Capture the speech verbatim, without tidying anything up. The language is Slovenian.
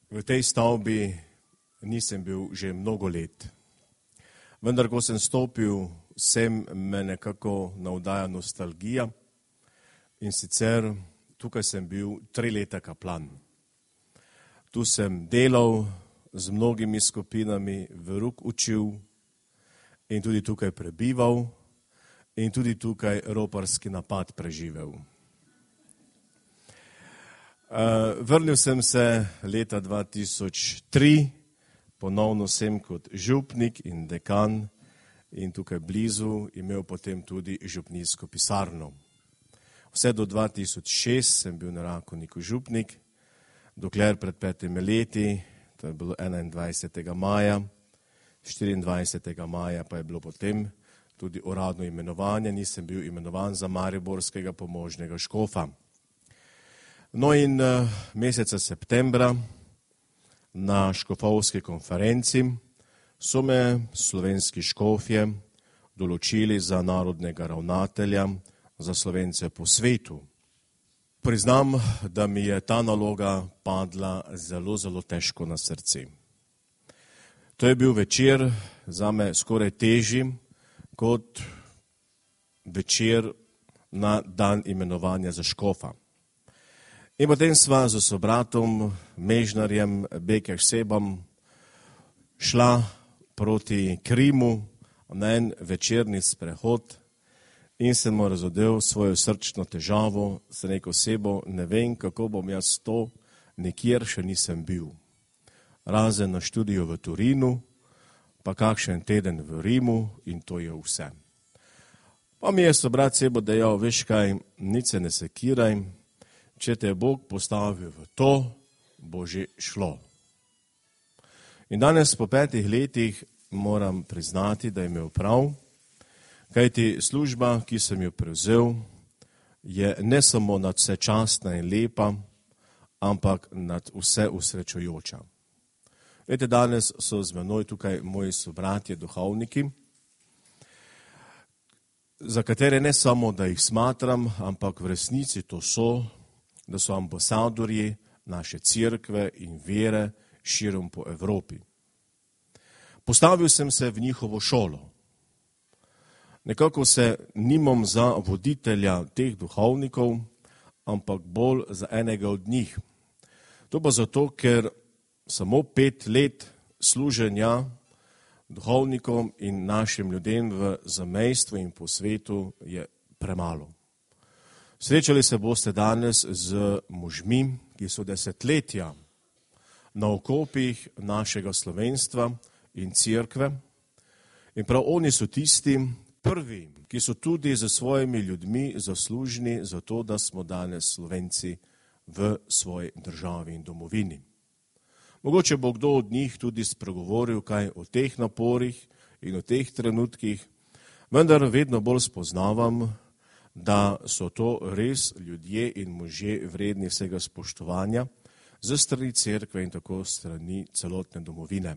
V tej stavbi nisem bil že mnogo let. Vendar, ko sem stopil sem, me nekako navdaja nostalgija in sicer tukaj sem bil tri leta kaplan. Tu sem delal z mnogimi skupinami, veruk učil in tudi tukaj prebival in tudi tukaj roparski napad preživel. Vrnil sem se leta dva tisoč tri, ponovno sem kot župnik in dekan in tukaj blizu imel potem tudi župnijsko pisarno. Vse do dva tisoč šest sem bil na Rakovniku župnik, dokler pred petimi leti, to je bilo enaindvajsetega maja, štiriindvajsetega maja pa je bilo potem tudi uradno imenovanje, nisem bil imenovan za mariborskega pomožnega škofa. No in meseca septembra na škofovski konferenci so me slovenski škofje določili za narodnega ravnatelja za Slovence po svetu. Priznam, da mi je ta naloga padla zelo, zelo težko na srce. To je bil večer zame skoraj težji kot večer na dan imenovanja za škofa. In potem sva z sobratom, Mežnarjem, Bekeš Sebam, šla proti Krimu na en večerni sprehod in sem mu razodel svojo srčno težavo, sem rekel, Sebo, ne vem, kako bom jaz to, nikjer še nisem bil. Razen na študiju v Turinu, pa kakšen teden v Rimu in to je vse. Pa mi je sobrat Sebo dejal, veš kaj, nič se ne sekiraj, če te je Bog postavil v to, bo že šlo. In danes po petih letih moram priznati, da je imel prav, kajti služba, ki sem jo prevzel, je ne samo nad vse častna in lepa, ampak nad vse usrečujoča. Vete, danes so z menoj tukaj moji sobratje, duhovniki, za katere ne samo, da jih smatram, ampak v resnici to so, da so ambasadorji naše cerkve in vere širom po Evropi. Postavil sem se v njihovo šolo. Nekako se nimam za voditelja teh duhovnikov, ampak bolj za enega od njih. To pa zato, ker samo pet let služenja duhovnikom in našim ljudem v zamejstvu in po svetu je premalo. Srečali se boste danes z možmi, ki so desetletja na okopih našega slovenstva in cerkve. In prav oni so tisti prvi, ki so tudi za svojimi ljudmi zaslužni za to, da smo danes Slovenci v svoji državi in domovini. Mogoče bo kdo od njih tudi spregovoril kaj o teh naporih in o teh trenutkih, vendar vedno bolj spoznavam, da so to res ljudje in možje vredni vsega spoštovanja z strani cerkve in tako strani celotne domovine.